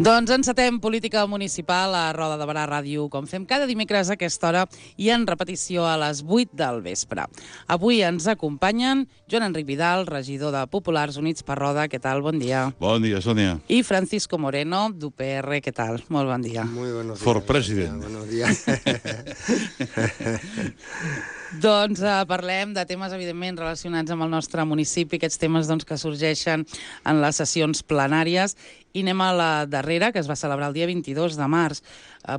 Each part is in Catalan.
Doncs encetem política municipal a Roda de Barà Ràdio, com fem cada dimecres a aquesta hora i en repetició a les 8 del vespre. Avui ens acompanyen Joan Enric Vidal, regidor de Populars Units per Roda. Què tal? Bon dia. Bon dia, Sònia. I Francisco Moreno, d'UPR. Què tal? Molt bon dia. Muy buenos días. For president. Buenos días. Doncs parlem de temes, evidentment, relacionats amb el nostre municipi, aquests temes que sorgeixen en les sessions plenàries. I anem a la darrera, que es va celebrar el dia 22 de març.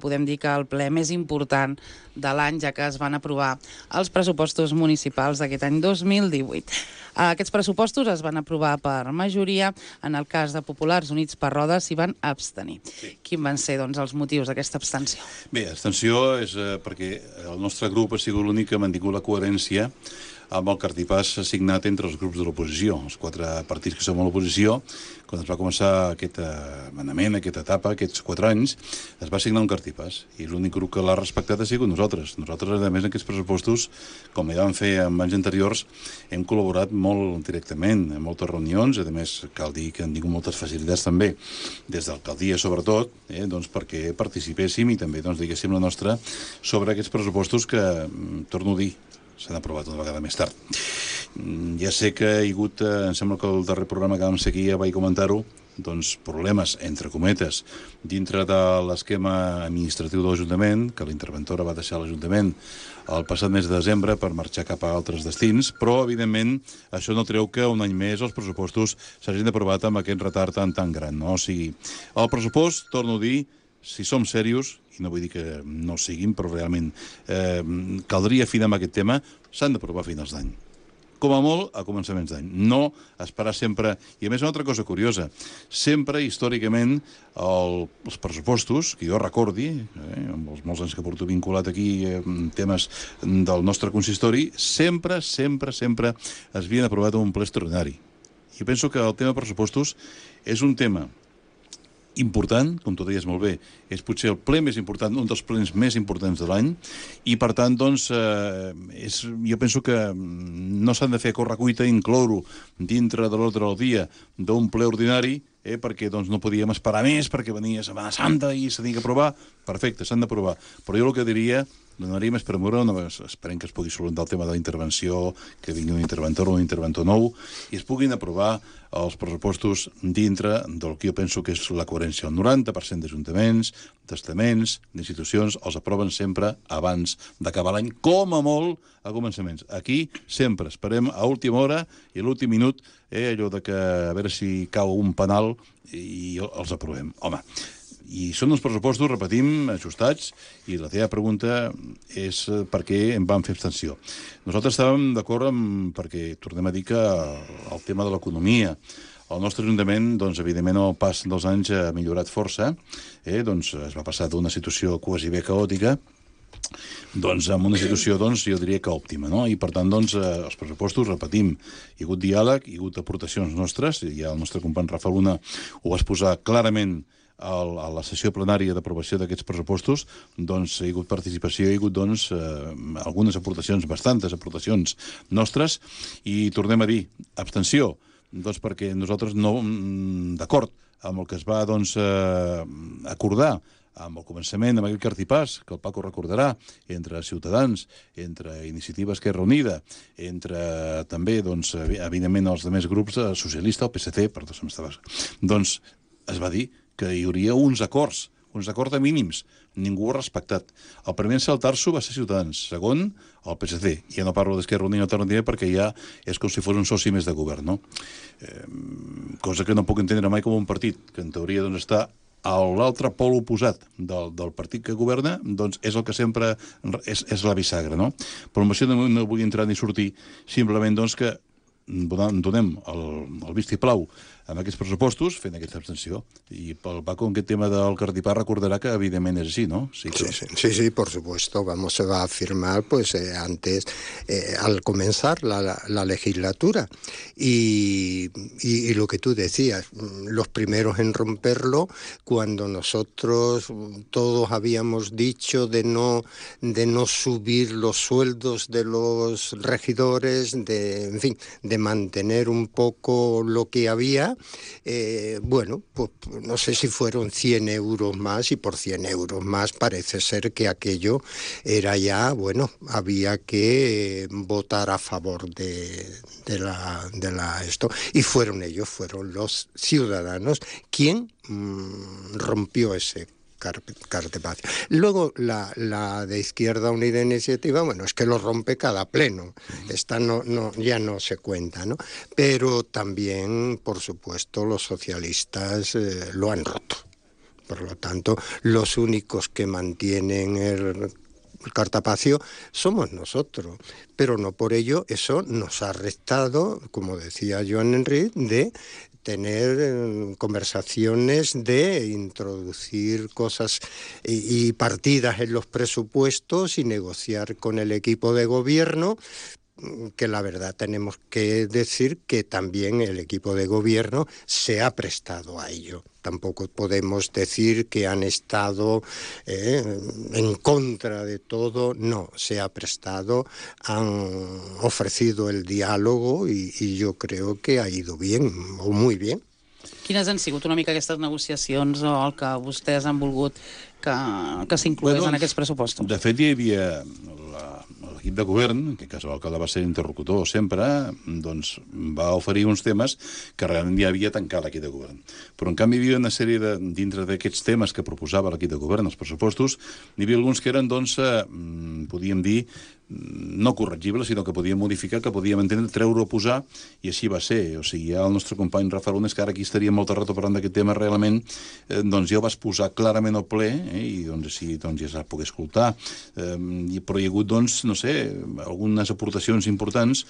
Podem dir que el ple més important de l'any, ja que es van aprovar els pressupostos municipals d'aquest any 2018. Aquests pressupostos es van aprovar per majoria. En el cas de Populars Units per Roda s'hi van abstenir. Sí. Quins van ser els motius d'aquesta abstenció? Bé, abstenció és perquè el nostre grup ha sigut l'únic que ha mantingut la coherència amb el cartipàs signat entre els grups de l'oposició. Els 4 partits que som a l'oposició, quan es va començar aquest manament, aquesta etapa, aquests 4 anys, es va signar un cartipàs. I l'únic grup que l'ha respectat ha sigut nosaltres. Nosaltres, a més, en aquests pressupostos, com ja vam fer en anys anteriors, hem col·laborat molt directament en moltes reunions. A més, cal dir que han tingut moltes facilitats també, des d'alcaldia sobretot, perquè participéssim i també, diguéssim, la nostra sobre aquests pressupostos que, torno a dir, s'han aprovat una vegada més tard. Ja sé que hi ha hagut, em sembla que el darrer programa que vam seguir ja vaig comentar-ho, problemes, entre cometes, dintre de l'esquema administratiu de l'Ajuntament, que la interventora va deixar l'Ajuntament el passat mes de desembre per marxar cap a altres destins, però, evidentment, això no treu que un any més els pressupostos s'hagin aprovat amb aquest retard tan gran, no? O sigui, el pressupost, torno a dir, si som serios, i no vull dir que no siguin, però realment caldria afinar amb aquest tema, s'han d'aprovar a finals d'any. Com a molt, a començaments d'any. No esperar sempre... I a més, una altra cosa curiosa, sempre, històricament, els pressupostos, que jo recordi, amb els molts anys que porto vinculat aquí temes del nostre consistori, sempre es havien aprovat en un ple extraordinari. I penso que el tema pressupostos és un tema important, com tu deies molt bé, és potser el ple més important, un dels plens més importants de l'any, i per tant, jo penso que no s'han de fer a correcuita i incloure dintre de l'ordre del dia d'un ple ordinari, perquè no podíem esperar més, perquè venia Setmana Santa i s'ha d'aprovar. Perfecte, s'han d'aprovar. Però jo el que diria, donaria més premura, esperem que es pugui solucionar el tema de la intervenció, que vingui un interventor o un interventor nou, i es puguin aprovar els pressupostos dintre del que jo penso que és la coherència. El 90% d'ajuntaments, d'estaments, d'institucions, els aproven sempre abans d'acabar l'any, com a molt a començaments. Aquí sempre esperem a última hora i a l'últim minut, allò de que a veure si cau un penal i els aprovem. Home, i són uns pressupostos, repetim, ajustats, i la teva pregunta és per què en vam fer abstenció. Nosaltres estàvem d'acord perquè tornem a dir que el tema de l'economia, el nostre Ajuntament, evidentment, al pas dels anys ha millorat força, es va passar d'una situació quasi bé caòtica amb una situació, jo diria que òptima, no? I per tant, els pressupostos, repetim, hi ha hagut diàleg, hi ha hagut aportacions nostres, i ja el nostre company Rafa Luna ho va exposar clarament a la sessió plenària d'aprovació d'aquests pressupostos, hi ha hagut participació, hi ha hagut, algunes aportacions, bastantes aportacions nostres, i tornem a dir, abstenció, perquè nosaltres no, d'acord amb el que es va, acordar amb el començament, amb aquell cartipàs, que el Paco recordarà, entre Ciutadans, entre Iniciativa Esquerra Unida, entre també, evidentment, els altres grups, socialista, el PSC, es va dir que hi hauria uns acords de mínims. Ningú ho ha respectat. El primer en saltar-s'ho va ser Ciutadans. Segon, el PSC. Ja no parlo d'Esquerra Unida Alternativa perquè ja és com si fos un soci més de govern, no? Cosa que no puc entendre mai com un partit, que en teoria està a l'altre pol oposat del partit que governa, és el que sempre és la bisagra, no? Però amb això no vull entrar ni sortir, simplement que donem el vistiplau amb aquests pressupostos, fent aquesta abstenció. I pel Paco, en aquest tema del cartipàs, recordarà que evidentment és així, ¿no? Sí, por supuesto. Se va a firmar antes, al comenzar la legislatura. Y lo que tú decías, los primeros en romperlo, cuando nosotros todos habíamos dicho de no subir los sueldos de los regidores, de mantener un poco lo que había, bueno, pues no sé si fueron 100 euros más, y por 100 euros más parece ser que aquello era ya, bueno, había que votar a favor de esto, y fueron ellos, fueron los ciudadanos quien rompió ese cartapacio. Luego la de Izquierda Unida Iniciativa, bueno, es que lo rompe cada pleno. Esta ya no se cuenta, ¿no? Pero también, por supuesto, los socialistas lo han roto. Por lo tanto, los únicos que mantienen el cartapacio somos nosotros, pero no por ello eso nos ha restado, como decía Joan Enric, de tener conversaciones, de introducir cosas y partidas en los presupuestos y negociar con el equipo de gobierno, que la verdad tenemos que decir que también el equipo de gobierno se ha prestado a ello. Tampoco podemos decir que han estado en contra de todo, no, se ha prestado, han ofrecido el diàlogo i jo crec que ha ido bien, o muy bien. Quines han sigut una mica aquestes negociacions o el que vostès han volgut que s'inclogués en aquests pressupostos? De fet, hi havia l'equip de govern, en aquest cas l'alcalde va ser interlocutor sempre, doncs va oferir uns temes que realment ja havia tancat l'equip de govern. Però, en canvi, hi havia una sèrie dintre d'aquests temes que proposava l'equip de govern, els pressupostos, n'hi havia alguns que eren, doncs, podíem dir, no corregibles, sinó que podíem modificar, que podíem entendre, treure o posar, i així va ser. O sigui, ja el nostre company Rafa Lunes, que ara aquí estaria molta rato parlant d'aquest tema, realment, doncs ja ho vas posar clarament al ple, i doncs així doncs, ja es va poder escoltar. Però hi ha hagut, doncs, no sé, algunes aportacions importants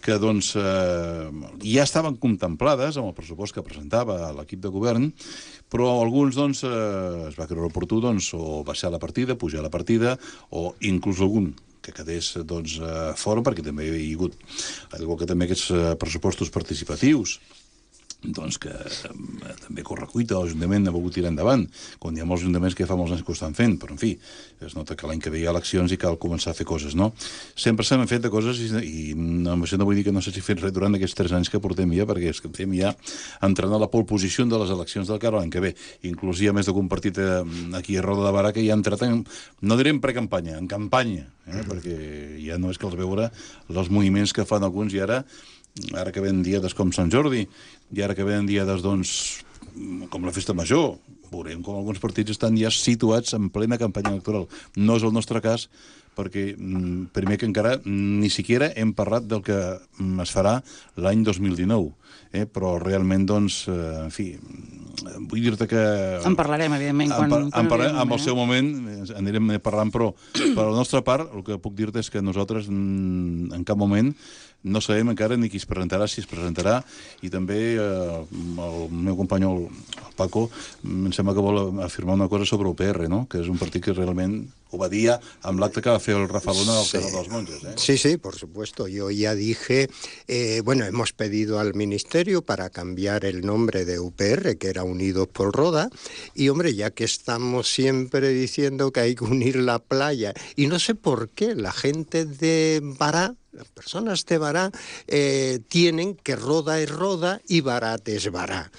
que, doncs, ja estaven contemplades amb el pressupost que presentava l'equip de govern, però alguns, doncs, es va creure oportú, doncs, o baixar la partida, pujar la partida, o inclús algun que quedés, doncs, fora, perquè també hi ha hagut, igual que també aquests pressupostos participatius, doncs que també correcuita l'Ajuntament ha volgut tirar endavant, quan hi ha molts ajuntaments que fa molts anys que ho estan fent, però en fi, es nota que l'any que ve hi ha eleccions i cal començar a fer coses, no? Sempre s'han fet de coses i amb això no vull dir que no s'hagi fet res durant aquests 3 anys que portem ja, perquè és que estem ja entrant a la pole position de les eleccions del cara l'any que ve. Inclús hi ha més d'un partit aquí a Roda de Barà que ja ha entrat en, no diré en precampanya, en campanya, perquè ja no és que els veure els moviments que fan alguns i ara que venen diades com Sant Jordi, i ara que venen diades, doncs, com la Festa Major, veurem com alguns partits estan ja situats en plena campanya electoral. No és el nostre cas, perquè, primer que encara, ni siquiera hem parlat del que es farà l'any 2019, però realment, doncs, en fi, vull dir-te que... En parlarem, evidentment, en el seu moment anirem parlant, però per la nostra part, el que puc dir-te és que nosaltres en cap moment no sabem encara ni qui es presentarà, si es presentarà, i també el meu company, el Paco, em sembla que vol afirmar una cosa sobre UPR, ¿no? Que és un partit que realment ho va dir amb l'acte que va fer el Rafa Luna al Carrer dels Monges. Sí, sí, por supuesto. Yo ya dije, bueno, hemos pedido al Ministerio para cambiar el nombre de UPR, que era Unidos por Roda, y hombre, ya que estamos siempre diciendo que hay que unir la playa, y no sé por qué la gente de Bará, las personas de Bará tienen que Roda es Roda y Barat es Bará,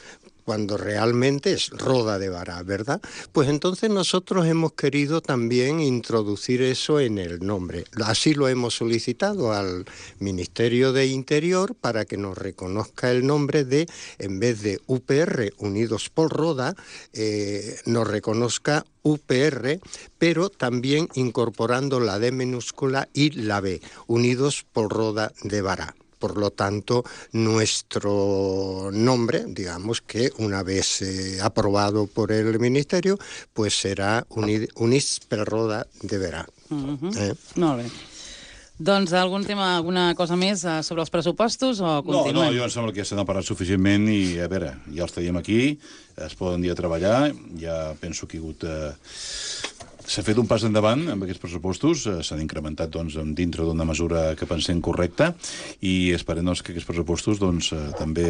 cuando realmente es Roda de Bará, ¿verdad? Pues entonces nosotros hemos querido también introducir eso en el nombre. Así lo hemos solicitado al Ministerio de Interior para que nos reconozca el nombre de, en vez de UPR, Unidos por Roda, nos reconozca UPR, pero también incorporando la D minúscula y la B, Unidos por Roda de Bará. Por lo tanto, nuestro nombre, digamos que una vez aprobado por el Ministerio, pues será Units per Roda de Barà. Molt bé. Doncs algun tema, alguna cosa més sobre els pressupostos o continuem? No, jo em sembla que ja se n'ha parlat suficientment i, a veure, ja els tenim aquí, es poden dir a treballar, ja penso que hi ha hagut... S'ha fet un pas endavant amb aquests pressupostos, s'han incrementat doncs, dintre d'una mesura que pensem correcta i esperem doncs, que aquests pressupostos doncs, també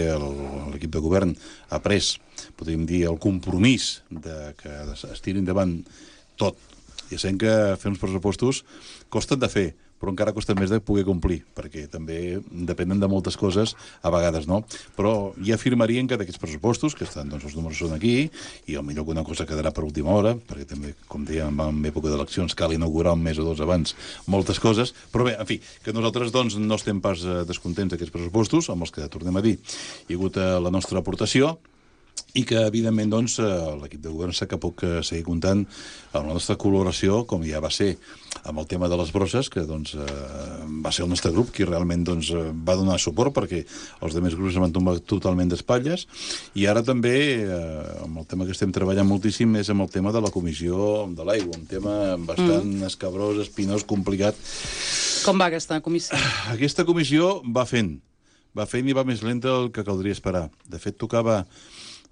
l'equip de govern ha pres, podríem dir, el compromís de que es tiri endavant tot. Ja sabem que fer uns pressupostos costen de fer, però encara costa més de poder complir, perquè també depenen de moltes coses, a vegades, no? Però ja afirmarien que d'aquests pressupostos, que estan, doncs els números són aquí, i potser alguna cosa quedarà per última hora, perquè també, com dèiem, en època d'eleccions cal inaugurar un mes o dos abans moltes coses, però bé, en fi, que nosaltres doncs no estem pas descontents d'aquests pressupostos, amb els que tornem a dir, hi ha hagut la nostra aportació, i que, evidentment, doncs, l'equip de govern sap que pot seguir comptant amb la nostra col·laboració, com ja va ser amb el tema de les brosses, que doncs, va ser el nostre grup qui realment doncs, va donar suport, perquè els altres grups es van tombar totalment d'espatlles, i ara també, amb el tema que estem treballant moltíssim, és amb el tema de la comissió de l'aigua, un tema bastant escabrós, espinós, complicat. Com va aquesta comissió? Aquesta comissió va fent i va més lenta del que caldria esperar. De fet, tocava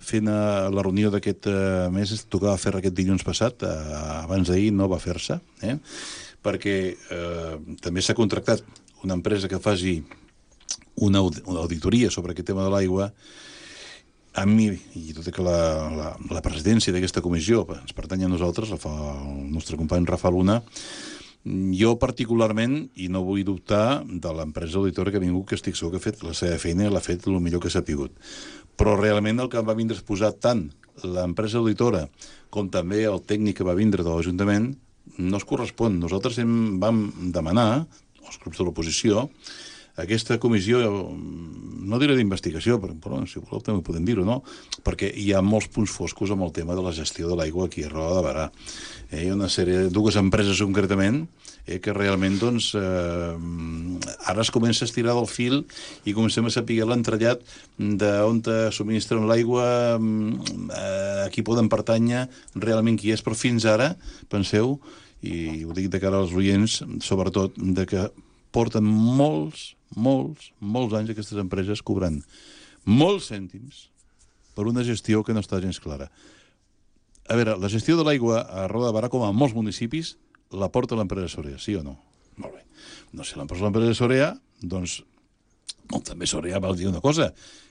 fent la reunió d'aquest mes, tocava fer aquest dilluns passat, abans d'ahir no va fer-se, perquè també s'ha contractat una empresa que faci una auditoria sobre aquest tema de l'aigua. A mi, i tot i que la presidència d'aquesta comissió ens pertany a nosaltres, la fa el nostre company Rafa Luna, jo particularment, i no vull dubtar de l'empresa auditora que ha vingut, que estic segur que ha fet la seva feina i l'ha fet el millor que s'ha pogut. Però realment el que va vindre a exposar tant l'empresa auditora com també el tècnic que va vindre de l'Ajuntament no es correspon. Nosaltres vam demanar, els grups de l'oposició, aquesta comissió, no diré d'investigació, però si voleu també podem dir-ho, no? Perquè hi ha molts punts foscos amb el tema de la gestió de l'aigua aquí a Roda de Berà. Hi ha una sèrie, dues empreses concretament, que realment doncs, ara es comença a estirar del fil i comencem a saber l'entrellat d'on subministren l'aigua, a qui poden pertànyer, realment qui és, però fins ara, penseu, i ho dic de cara als oients, sobretot, de que porten molts anys aquestes empreses cobrant molts cèntims per una gestió que no està gens clara. A veure, la gestió de l'aigua a Roda de Berà, com a molts municipis, la porta l'empresa Sorea, sí o no? Molt bé. No sé, l'empresa Sorea, doncs, també Sorea va dir una cosa,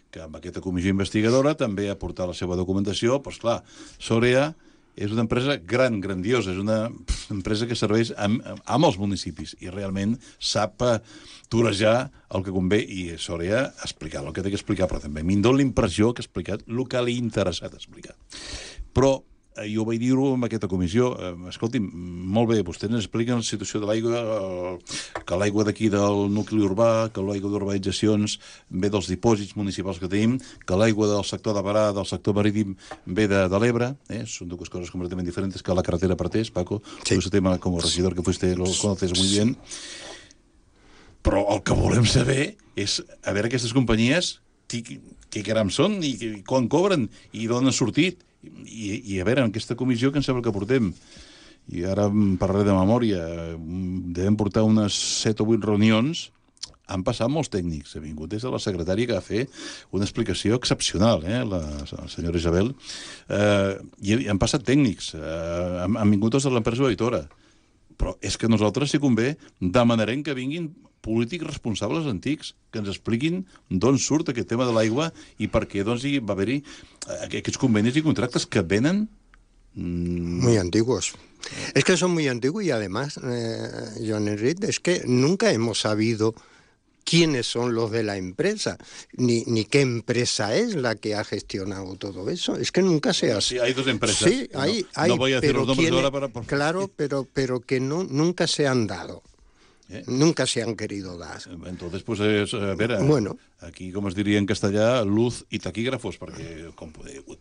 que amb aquesta comissió investigadora també ha portat la seva documentació, però, esclar, Sorea és una empresa grandiosa, és una empresa que serveix a molts municipis i realment sap torejar el que convé, i Sorea ha explicat el que té que explicar, però també a mi em dóna la impressió que ha explicat el que li ha interessat explicar. Però jo vaig dir-ho en aquesta comissió, escolti'm, molt bé, vostès ens expliquen la situació de l'aigua, que l'aigua d'aquí del nucli urbà, que l'aigua d'urbanitzacions ve dels dipòsits municipals que tenim, que l'aigua del sector de Berà, del sector marítim, ve de l'Ebre, són dues coses completament diferents que la carretera partés, Paco, sí. Tu tema com a regidor que fuiste, lo conoces muy bien. Però el que volem saber és, a veure, aquestes companyies, què caram són, i quan cobren, i d'on han sortit. I a veure, en aquesta comissió que em sembla que portem, i ara em parlaré de memòria, devem portar unes 7 o 8 reunions, han passat molts tècnics, ha vingut des de la secretària que va fer una explicació excepcional, la senyora Isabel, i han passat tècnics, han vingut des de l'empresa auditora, però és que nosaltres, si convé, demanarem que vinguin polítics responsables antics, que ens expliquin d'on surt aquest tema de l'aigua i per què doncs, hi va haver-hi aquests convenis y contratos que venen muy antiguos. Es que son muy antiguos y además, Joan Enric, es que nunca hemos sabido quiénes son los de la empresa, ni qué empresa es la que ha gestionado todo eso. Es que nunca se ha... Sí, hay dos empresas. Sí, hay, no voy a decir los nombres ahora para... Claro, pero que nunca se han dado. Nunca se han querido dar. Entonces, pues, a ver, bueno. Aquí, com es diria en castellà, luz i taquígrafos, perquè,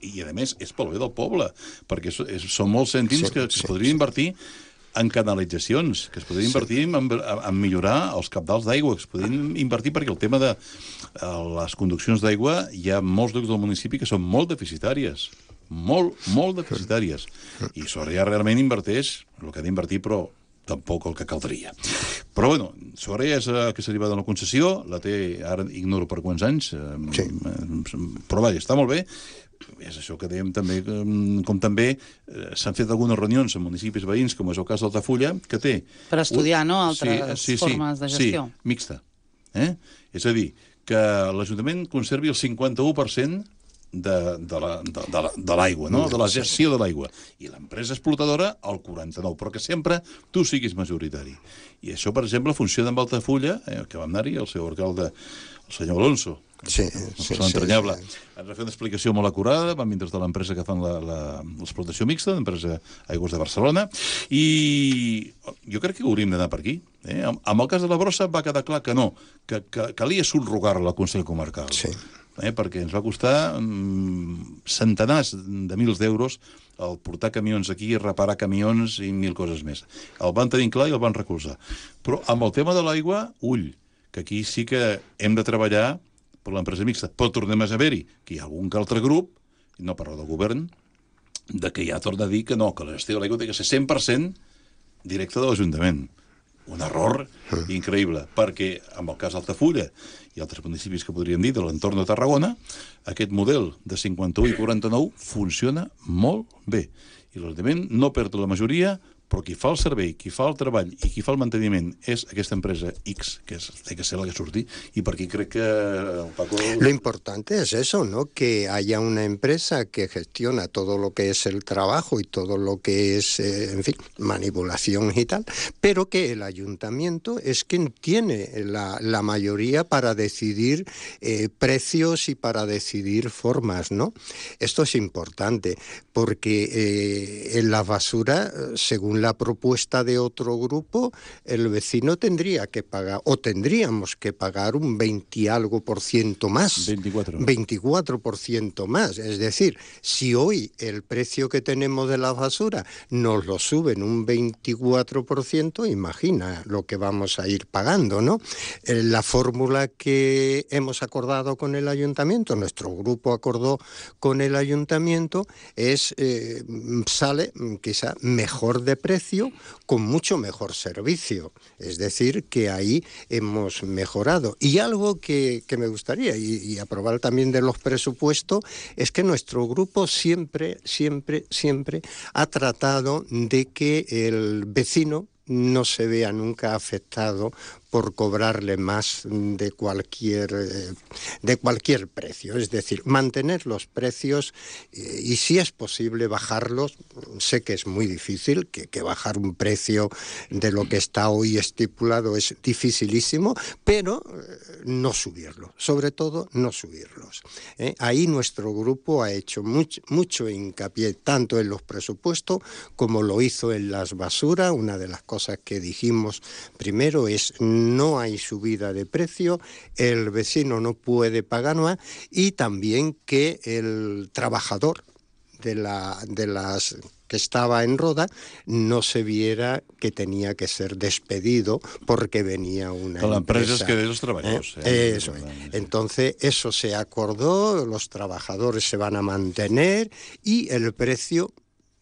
i a més, és pel bé del poble, perquè són molts cèntims que es podrien invertir en canalitzacions, que es podrien invertir en millorar els cabdals d'aigua, que es podrien invertir perquè el tema de les conduccions d'aigua hi ha molts llocs del municipi que són molt deficitàries, molt deficitàries, i Sorea realment inverteix el que ha d'invertir, però tampoc el que caldria. Però, bueno, Sorea és que se li va donar concessió, la té, ara ignoro per quants anys, però vaja, està molt bé. És això que dèiem també, com també s'han fet algunes reunions en municipis veïns, com és el cas d'Altafulla, que té... Per estudiar, no?, altres formes de gestió. Sí, mixta. És a dir, que l'Ajuntament conservi el 51% de l'aigua, no? De la gestió de l'aigua. I l'empresa explotadora, el 49%, però que sempre tu siguis majoritari. I això, per exemple, funciona amb Altafulla, que vam anar-hi, el seu alcalde, el senyor Alonso, Sí, entranyable. Ens va fer una explicació molt acurada, vam vindre de l'empresa que fan l'explotació mixta, l'empresa Aigües de Barcelona, i jo crec que hauríem d'anar per aquí. Amb el cas de la brossa va quedar clar que no, que calia subrogar-la al Consell Comarcal. Sí. Perquè ens va costar centenars de mils d'euros el portar camions aquí, reparar camions i mil coses més. El van tenir clar i el van recolzar. Però amb el tema de l'aigua, ull, que aquí sí que hem de treballar per l'empresa mixta. Però tornem a saber-hi que hi ha algun que altre grup, no parlo del govern, de que ja torna a dir que no, que la gestió de l'aigua té que ser 100% directa de l'Ajuntament. Un error increïble, perquè amb el cas d'Altafulla i altres municipis que podríem dir de l'entorn de Tarragona, aquest model de 51 i 49 funciona molt bé. I l'Ajuntament no perd la majoria, però qui fa el servei, qui fa el treball i qui fa el manteniment és aquesta empresa X, que té que ser la que surti, y por aquí creo que Paco... Lo importante es eso, ¿no? Que haya una empresa que gestiona todo lo que es el trabajo y todo lo que es, en fin, manipulación y tal, pero que el ayuntamiento es quien tiene la mayoría para decidir precios y para decidir formas, ¿no? Esto es importante, porque en la basura, según la propuesta de otro grupo, el vecino tendría que pagar, o tendríamos que pagar un 20 y algo por ciento más. 24% más. Es decir, si hoy el precio que tenemos de la basura nos lo suben un 24%, imagina lo que vamos a ir pagando, ¿no? La fórmula que hemos acordado con el ayuntamiento, nuestro grupo acordó con el ayuntamiento, sale quizá mejor de precio, con mucho mejor servicio. Es decir, que ahí hemos mejorado. Y algo que me gustaría, y aprobar también de los presupuestos, es que nuestro grupo siempre ha tratado de que el vecino no se vea nunca afectado por cobrarle más de cualquier precio. Es decir, mantener los precios y, si es posible, bajarlos. Sé que es muy difícil, que bajar un precio de lo que está hoy estipulado es dificilísimo, pero no subirlo, sobre todo no subirlos. Ahí nuestro grupo ha hecho mucho hincapié, tanto en los presupuestos como lo hizo en las basuras. Una de las cosas que dijimos primero es: no hay subida de precio, el vecino no puede pagar más, y también que el trabajador de las que estaba en Roda no se viera que tenía que ser despedido porque venía una la empresa empresa. Es que de los trabajadores. Eso es. Entonces, eso se acordó, los trabajadores se van a mantener y el precio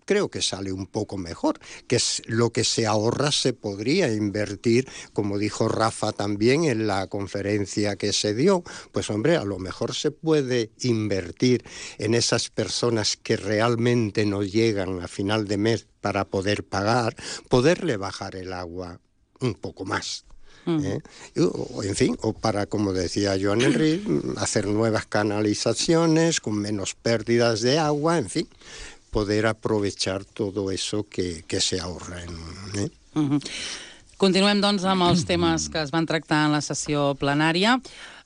creo que sale un poco mejor, que es lo que se ahorra se podría invertir, como dijo Rafa también en la conferencia que se dio. Pues hombre, a lo mejor se puede invertir en esas personas que realmente no llegan a final de mes para poder pagar, poderle bajar el agua un poco más. En fin, o para, como decía Joan Enric, hacer nuevas canalizaciones con menos pérdidas de agua, en fin, poder aprovechar todo eso que se ahorra. Continuem, doncs, amb els temes que es van tractar en la sessió plenària.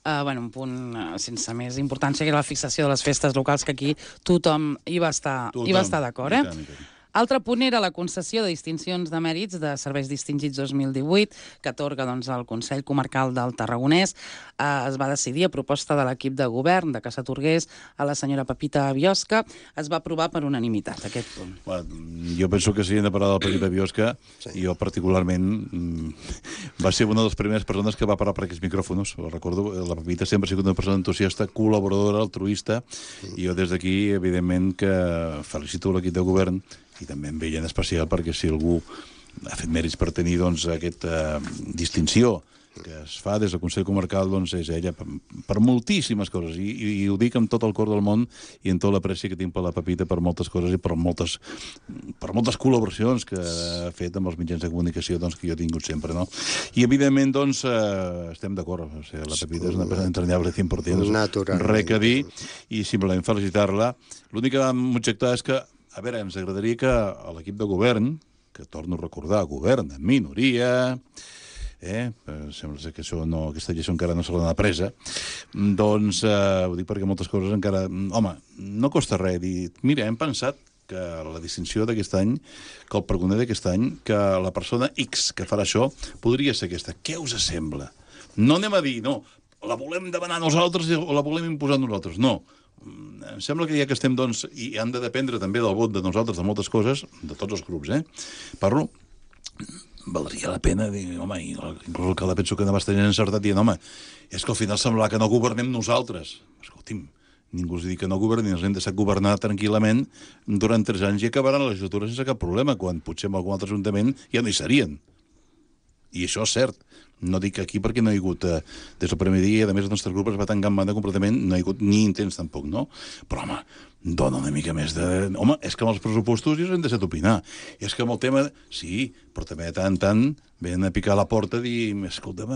Un punt sense més importància, que era la fixació de les festes locals, que aquí tothom hi va estar d'acord. Altre punt era la concessió de distincions de mèrits de serveis distingits 2018, que atorga el Consell Comarcal del Tarragonès. Es va decidir, a proposta de l'equip de govern, de que s'atorgués a la senyora Pepita Biosca. Es va aprovar per unanimitat, aquest punt. Jo penso que si hem de parlar de la Pepita Biosca, jo particularment va ser una de les primeres persones que va parar per aquests micròfons. Recordo, la Pepita sempre ha sigut una persona entusiasta, col·laboradora, altruista, i jo des d'aquí, evidentment, que felicito l'equip de govern, i també em veia en especial perquè si algú ha fet mèrits per tenir aquesta distinció que es fa des del Consell Comarcal, doncs és ella per moltíssimes coses, i ho dic amb tot el cor del món i amb tota l'apreci que tinc per la Pepita per moltes coses i per moltes col·laboracions que ha fet amb els mitjans de comunicació, doncs, que jo he tingut sempre, no? I, evidentment, doncs, estem d'acord. O sigui, la Pepita és una persona entranyable 100%, res que dir, i simplement felicitar-la. L'únic que vam objectar és que, a veure, ens agradaria que l'equip de govern, que torno a recordar, govern en minoria, sembla que aquesta llei encara no se l'ha presa, doncs ho dic perquè moltes coses encara... Home, no costa res dir... Mira, hem pensat que la distinció d'aquest any, que el pregoner d'aquest any, que la persona X que farà això podria ser aquesta. Què us sembla? No anem a dir, no, la volem demanar nosaltres o la volem imposar nosaltres. No. Em sembla que ja que estem, doncs, i han de dependre també del vot de nosaltres, de moltes coses, de tots els grups, parlo, valdria la pena dir, home, inclús el que la penso que no va estar encertat dient, home, és que al final semblarà que no governem nosaltres. Escolti'm, ningú us diu que no governin, ens hem deixat governar tranquil·lament durant 3 anys i acabaran la legislatura sense cap problema, quan potser en algun altre ajuntament ja no hi serien. I això és cert. No dic aquí perquè no hi ha hagut, des del primer dia, i a més el nostre grup es va tancar en banda completament, no hi ha hagut ni intents tampoc, no? Però, home, dona una mica més de... Home, és que amb els pressupostos ja s'han deixat opinar. I és que amb el tema... Sí, però també de tant en tant venen a picar a la porta i dir, escolta'm,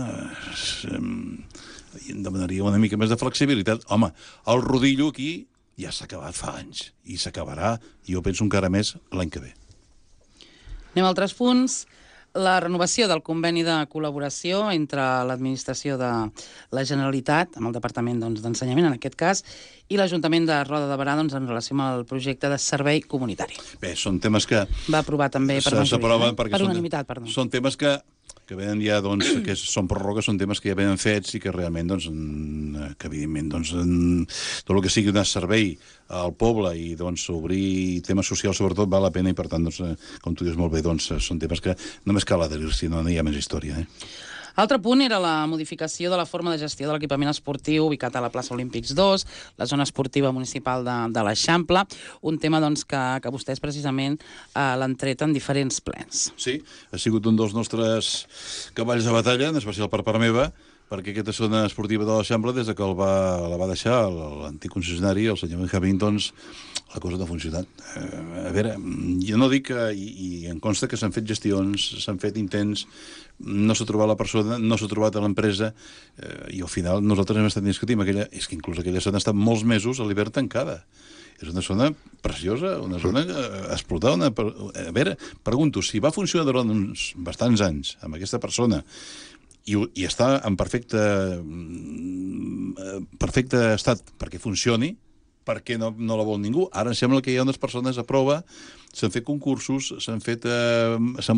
em demanaria una mica més de flexibilitat. Home, el rodillo aquí ja s'ha acabat fa anys, i s'acabarà, jo penso encara més l'any que ve. Anem a altres punts. La renovació del conveni de col·laboració entre l'administració de la Generalitat, amb el Departament d'Ensenyament, en aquest cas, i l'Ajuntament de Roda de Berà, en relació amb el projecte de servei comunitari. Bé, són temes que... Va aprovar també per unanimitat. Són temes que venen ja, doncs, que són pròrrogues, són temes que ja venen fets i que realment, doncs, que evidentment, doncs, tot el que sigui donar servei al poble i, doncs, obrir temes socials, sobretot, val la pena i, per tant, doncs, com tu dius molt bé, doncs, són temes que només cal adherir-s'hi, no hi ha més història, L'altre punt era la modificació de la forma de gestió de l'equipament esportiu ubicat a la plaça Olímpics 2, la zona esportiva municipal de l'Eixample, un tema doncs, que vostès precisament l'han tret en diferents plens. Sí, ha sigut un dels nostres cavalls de batalla, en especial per part meva, perquè aquesta zona esportiva de l'Eixample, des que la va deixar l'antic concessionari, el senyor Benjamín, doncs, la cosa no ha funcionat. A veure, jo no dic que, i em consta que s'han fet gestions, s'han fet intents, no s'ha trobat la persona, no s'ha trobat a l'empresa, i al final nosaltres hem estat discutint és que inclús aquella zona ha estat molts mesos a l'hivern tancada. És una zona preciosa, una zona explotada. A veure, pregunto, si va funcionar durant uns bastants anys amb aquesta persona i està en perfecte estat perquè funcioni, per què no la vol ningú? Ara em sembla que hi ha unes persones a prova, s'han fet concursos, s'han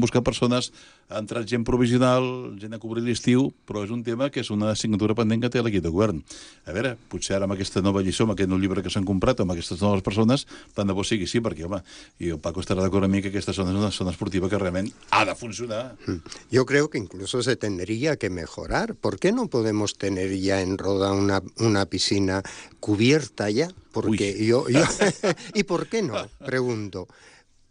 buscat persones, ha entrat gent provisional, gent a cobrir l'estiu, però és un tema que és una assignatura pendent que té l'equip de govern. A veure, potser ara amb aquesta nova lliçó, amb aquest nou llibre que s'han comprat, amb aquestes noves persones, tant de bo sigui sí, perquè, home, i el Paco estarà d'acord amb mi que aquesta zona és una zona esportiva que realment ha de funcionar. Yo creo que incluso se tendría que mejorar. ¿Por qué no podemos tener ya en Roda una piscina cubierta ya? Porque ¿Y por qué no? Pregunto.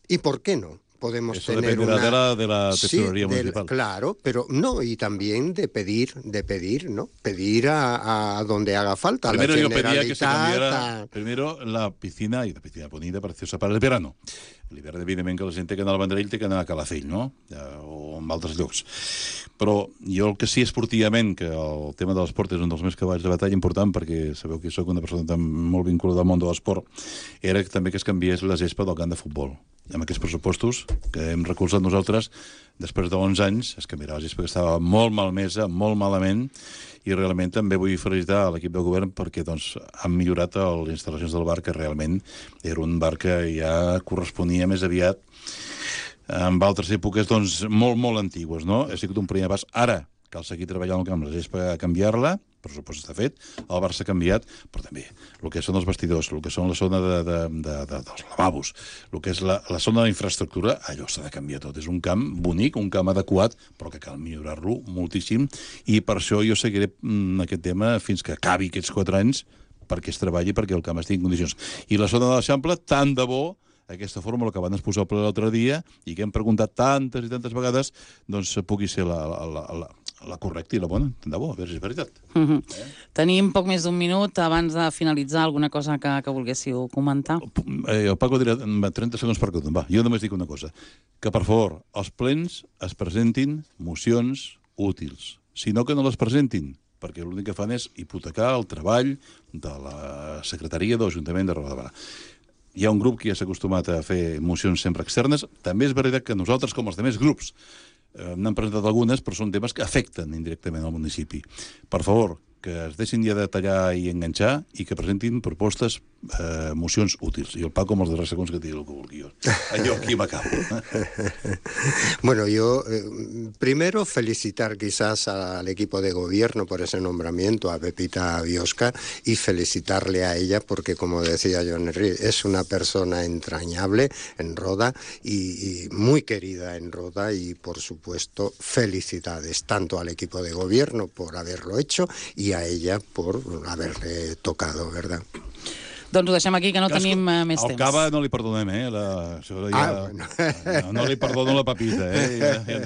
¿Y por qué no? Podemos eso tener dependerá de la tesorería municipal. Claro, pero no, y también de pedir, ¿no? Pedir a donde haga falta. Primero yo pedía que se cambiara primero la piscina, y la piscina bonita, preciosa para el verano. L'hivern, evidentment, que la gent té que anar al Vendrell, té que anar a Calafell, no? O en altres llocs. Però jo el que sí esportivament, que el tema de l'esport és un dels meus cavalls de batalla important, perquè sabeu que sóc una persona tan molt vinculada al món de l'esport, era també que es canviés la gespa del camp de futbol. I amb aquests pressupostos que hem recolzat nosaltres, després de 11 anys, es canviarà la gespa que estava molt malmesa, molt malament, i realment també vull felicitar l'equip del govern perquè doncs, han millorat les instal·lacions del bar, que realment era un bar que ja corresponia més aviat en altres èpoques doncs, molt, molt antigues, no? Ha sigut un primer pas. Ara cal seguir treballant al camp, la gespa a canviar-la, per supost està fet, el bar s'ha canviat, però també el que són els vestidors, el que són la zona dels lavabos, el que és la zona d'infraestructura, allò s'ha de canviar tot. És un camp bonic, un camp adequat, però que cal millorar-lo moltíssim, i per això jo seguiré aquest tema fins que acabi aquests 4 anys, perquè es treballi, perquè el camp estigui en condicions. I la zona de l'Eixample, tant de bo aquesta fórmula que van exposar el ple l'altre dia i que hem preguntat tantes i tantes vegades, doncs pugui ser la correcta i la bona. Tant de bo, a veure si és veritat. Tenim poc més d'un minut abans de finalitzar. Alguna cosa que volguéssiu comentar? El Paco dirà 30 segons per cada. Va, jo només dic una cosa. Que, per favor, als plens es presentin mocions útils. Si no, que no les presentin, perquè l'únic que fan és hipotecar el treball de la secretaria de l'Ajuntament de Roda de Barà. Hi ha un grup que ja s'ha acostumat a fer mocions sempre externes. També és veritat que nosaltres, com els altres grups, n'han presentat algunes, però són temes que afecten indirectament al municipi. Per favor, que es deixin ja de tallar i enganxar i que presentin propostes, mocions útils. I el Paco, amb els darrers segons, que digui el que vulgui. Allò aquí m'acabo. Bueno, yo primero felicitar quizás al equipo de gobierno por ese nombramiento, a Pepita Biosca, y felicitarle a ella porque, como decía Joan Herrí, es una persona entrañable en Roda y muy querida en Roda, y por supuesto felicidades tanto al equipo de gobierno por haberlo hecho y a ella por haberle tocado, ¿verdad? Doncs ho deixem aquí, que no tenim més temps. Al Cava no li perdonem, no li perdono la Pepita,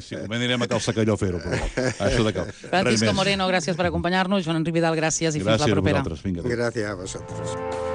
Si convé anirem a Cal Secalló a fer-ho, però això de cap. Francisco Moreno, gràcies per acompanyar-nos. Joan Enric Vidal, gràcies i fins la propera. Gràcies a vosaltres. Vinga. Gracias a vosotros.